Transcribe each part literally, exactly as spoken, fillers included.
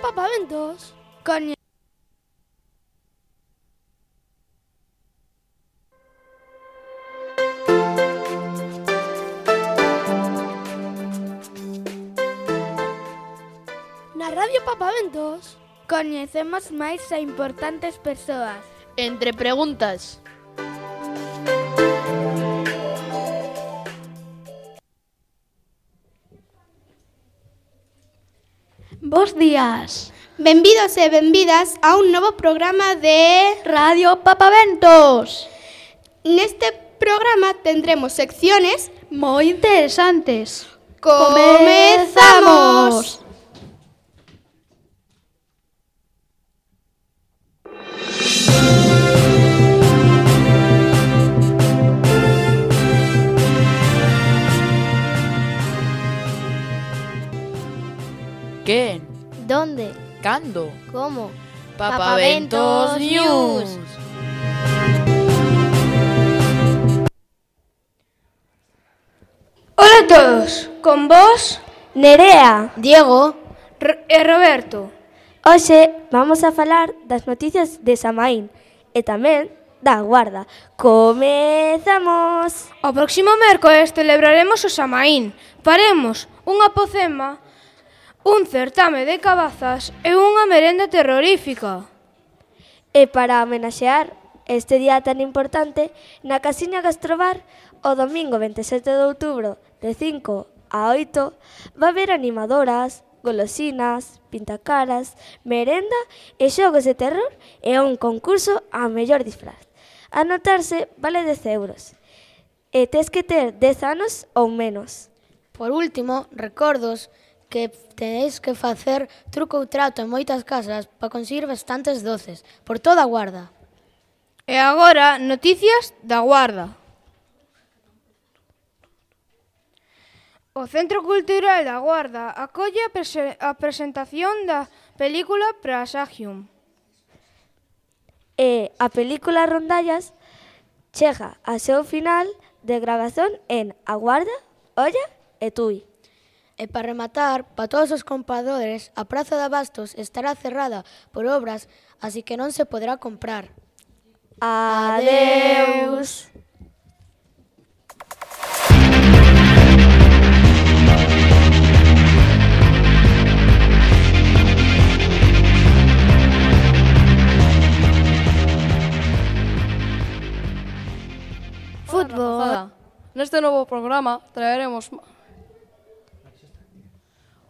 Papaventos. Coñe... Na Radio Papaventos coñecemos máis a importantes persoas. Entre preguntas. Bos días. Benvidos e benvidas a un novo programa de Radio Papaventos. Neste programa tendremos secciones moi interesantes. ¡Comezamos! ¿Quen? ¿Dónde? Cando? ¿Cómo? Papaventos News. Hola a todos, con vos Nerea Diego. R- e Roberto. Hoxe vamos a falar das noticias de Samaín e tamén da Guarda. Comezamos! O próximo mércores celebraremos o Samaín. Faremos unha pocema, un certame de cabazas e unha merenda terrorífica. E para homenaxear este día tan importante, na Casiña Gastrobar, o domingo veintisiete de outubro, de cinco a oito, va haber animadoras, golosinas, pintacaras, merenda e xogos de terror e un concurso a mellor disfraz. Anotarse vale dez euros e tes que ter dez anos ou menos. Por último, recordos que tenéis que facer truco ou trato en moitas casas para conseguir bastantes doces por toda a Guarda. E agora, noticias da Guarda. O Centro Cultural da Guarda acolle a, prese- a presentación da película Prasagium. E a película Rondallas chega ao seu final de gravación en A Guarda, Oia e Tui. E para rematar, para todos os compradores, a Praza de Abastos estará cerrada por obras, así que non se poderá comprar. Adeus! Fútbol. Neste novo programa traeremos...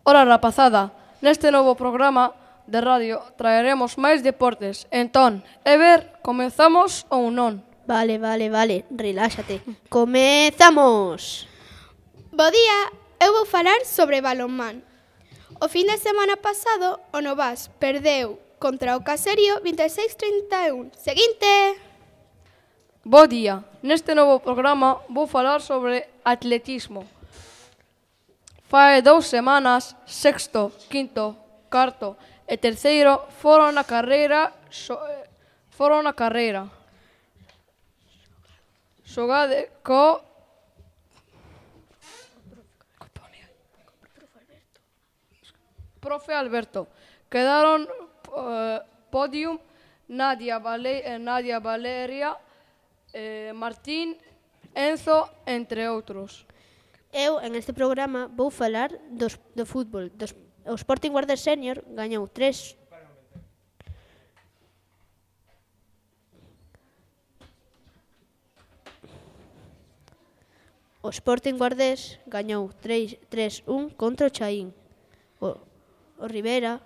Hora rapazada. Neste novo programa de radio traeremos máis deportes. Entón, Ever, comezamos ou non? Vale, vale, vale, reláxate. Comezamos. Bo día, eu vou falar sobre balonmán. O fin de semana pasado, o Novas perdeu contra o Caserio vinte e seis a trinta e un. Seguinte! Bo día. Neste novo programa vou falar sobre atletismo. Fai dous semanas, sexto, quinto, cuarto e terceiro foron na carreira so, foron na carreira. Xogade co Profe Alberto. Quedaron uh, podium Nadia, Vale, eh, Nadia Valeria, eh, Martín, Enzo, entre outros. Eu, en este programa, vou falar dos, do fútbol. Dos, o Sporting Guarda Senior gañou tres... O Sporting Guardés gañou tres a un contra o Chaín. O, o Rivera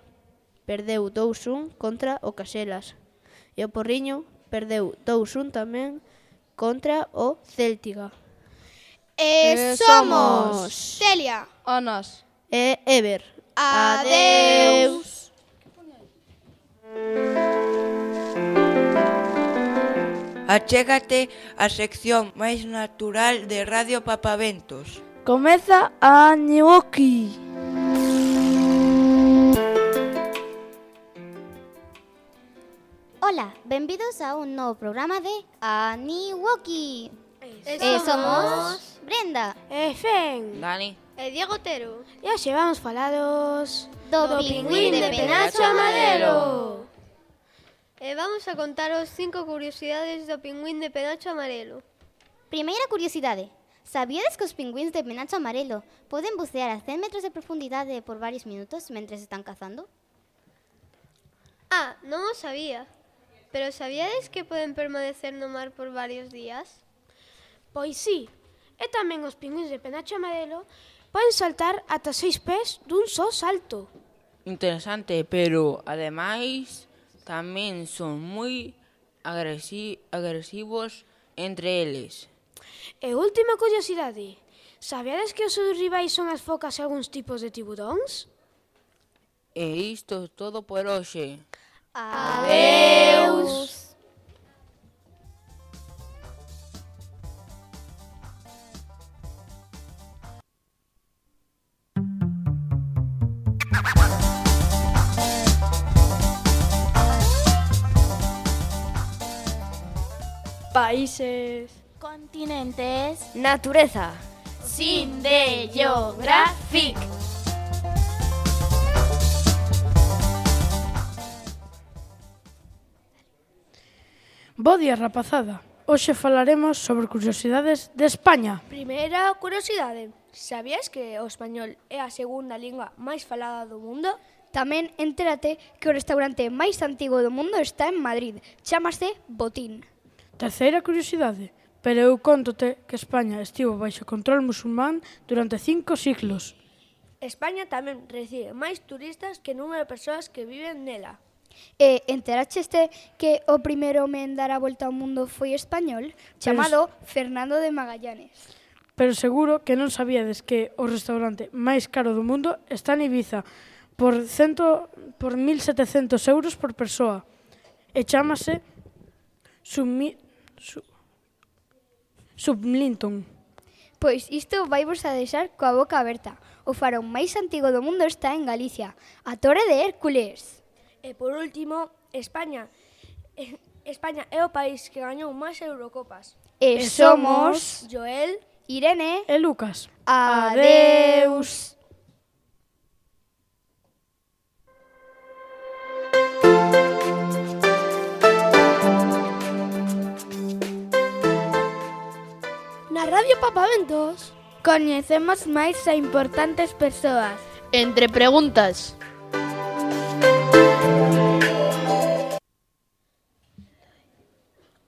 perdeu dous a un contra o Caselas. E o Porriño perdeu dous a un tamén contra o Céltiga. E E somos somos Celia. Anas. E Ever. Adeus. Achégate á sección máis natural de Radio Papaventos. Comeza a Niwoki. Hola, benvidos a un novo programa de Aniwoki. E somos Brenda, E Fen. Dani. e Diego Otero. E hoxe vamos falaros Do pingüín de penacho amarelo. E vamos a contaros cinco curiosidades do pingüín de penacho amarelo. Primeira curiosidade. Sabíades que os pingüíns de penacho amarelo poden bucear a cen metros de profundidade por varios minutos mentres están cazando? Ah, non o sabía. Pero sabíades que poden permanecer no mar por varios días? Pois sí, e tamén os pingüíns de penacho amarelo poden saltar ata seis pés dun só salto. Interesante, pero ademais tamén son moi agresi agresivos entre eles. E última curiosidade, sabíades que os seus rivais son as focas e algúns tipos de tiburóns? E isto é todo por hoxe. Adeus! Países. Continentes. Natureza. Sin de Geographic. Bo día, rapazada. Hoxe falaremos sobre curiosidades de España. Primeira curiosidade, sabías que o español é a segunda lingua máis falada do mundo? Tamén entérate que o restaurante máis antigo do mundo está en Madrid. Chámase Botín. Terceira curiosidade, pero eu contote que España estivo baixo control musulmán durante cinco siglos. España tamén recibe máis turistas que o número de persoas que viven nela. E enteraxeste que o primeiro home en dar a volta ao mundo foi español, chamado Fernando de Magallanes. Pero seguro que non sabíades que o restaurante máis caro do mundo está en Ibiza por, cento, por mil setecentos euros por persoa e chámase Submi, Sub, Sublinton. Pois isto vai vos a deixar coa boca aberta. O farón máis antigo do mundo está en Galicia, a Torre de Hércules. E por último, España. España é o país que gañou máis Eurocopas. E somos Joel, Irene e Lucas. Adeus. Na Radio Papaventos coñecemos máis a importantes persoas. Entre preguntas.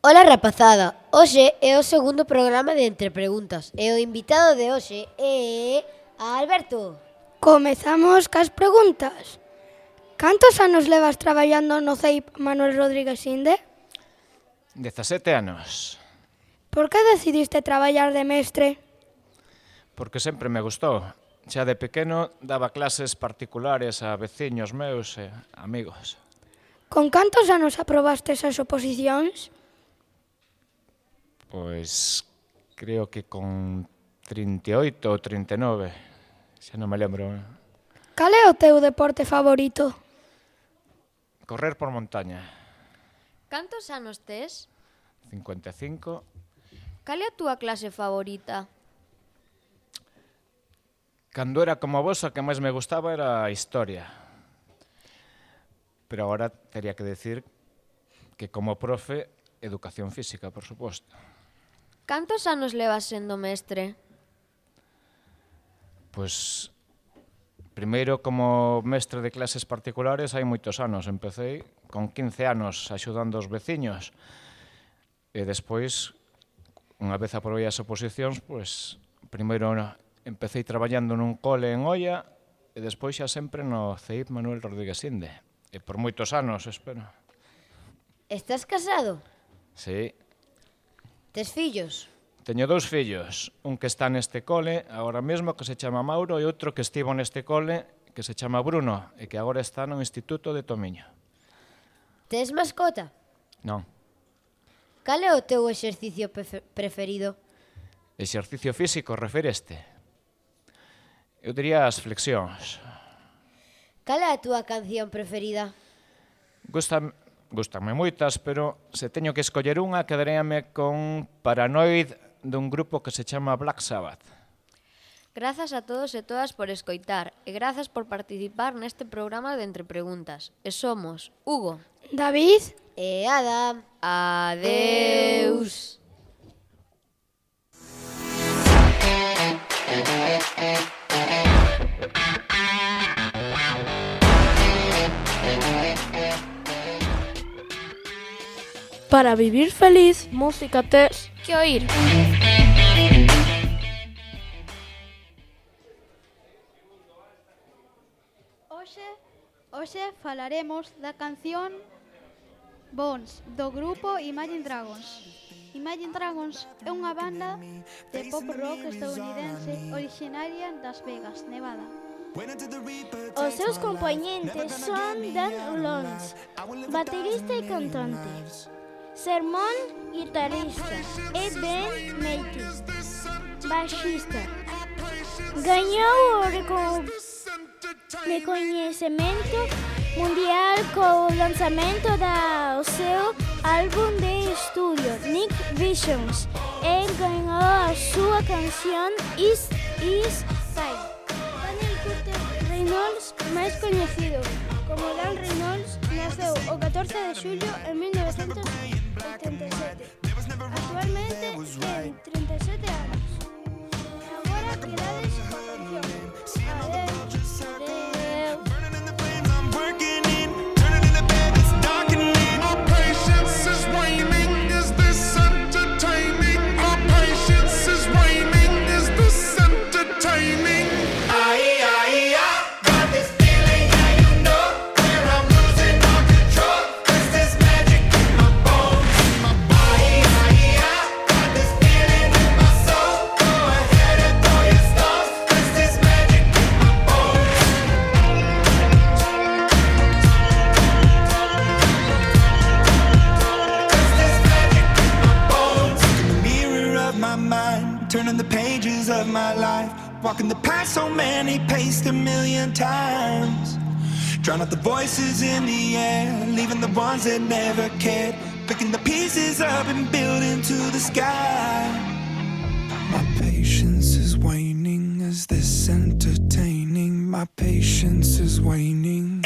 Ola, rapazada, hoxe é o segundo programa de Entre Preguntas e o invitado de hoxe é Alberto. Comezamos cas preguntas. Cantos anos levas traballando no C E I P Manuel Rodríguez Inde? dezasete anos. Por que decidiste traballar de mestre? Porque sempre me gustou. Xa de pequeno daba clases particulares a veciños meus e amigos. Con cantos anos aprobastes as oposicións? Pois creo que con trinta e oito ou trinta e nove, xa non me lembro. Cal é o teu deporte favorito? Correr por montaña. Cantos anos tes? cincuenta e cinco. Cal é a túa clase favorita? Cando era como vos, a que máis me gustaba era a historia. Pero agora teria que decir que como profe, educación física, por suposto. Cantos anos levas sendo mestre? Pois, primeiro como mestre de clases particulares hai moitos anos. Empecé con quince anos axudando os veciños. E despois, unha vez aprobei as oposicións, pois, primeiro empecé traballando nun cole en Oia e despois xa sempre no C E I P Manuel Rodríguez Inde. E por moitos anos, espero. Estás casado? Sí. Tes fillos? Teño dous fillos, un que está neste cole agora mesmo que se chama Mauro e outro que estivo neste cole que se chama Bruno e que agora está no Instituto de Tomiño. Tes mascota? Non. Cal é o teu exercicio preferido? Exercicio físico, refereste? Eu diría as flexións. Cal é a túa canción preferida? Gústame, gústame moitas, pero se teño que escoller unha, quedaríame con Paranoid dun grupo que se chama Black Sabbath. Grazas a todos e todas por escoitar e grazas por participar neste programa de Entre Preguntas. E somos Hugo, David e Ada. Adeus. Para vivir feliz, música tes que oír. Hoxe, hoxe falaremos da canción Bones, do grupo Imagine Dragons. Imagine Dragons é unha banda de pop rock estadounidense originaria das Vegas, Nevada. Os seus componentes son Dan Ulons, baterista e cantante, Sermon, guitarrista, e Ben Matis, baixista. Gañou o reco- recoñecemento mundial co lanzamento do seu álbum de estudio, Nick Visions, e gañou a súa canción Is Is Time. Daniel Curtis Reynolds, máis coñecido como Dan Reynolds, naceu o catorce de xullo en mil novecentos oitenta e sete. Actualmente ten trinta e sete anos. Agora quedades coa canción. Adeus, adeus. Turning the pages of my life, walking the path so many paced a million times. Drown out the voices in the air, leaving the ones that never cared, picking the pieces up and building to the sky. My patience is waning, is this entertaining? My patience is waning.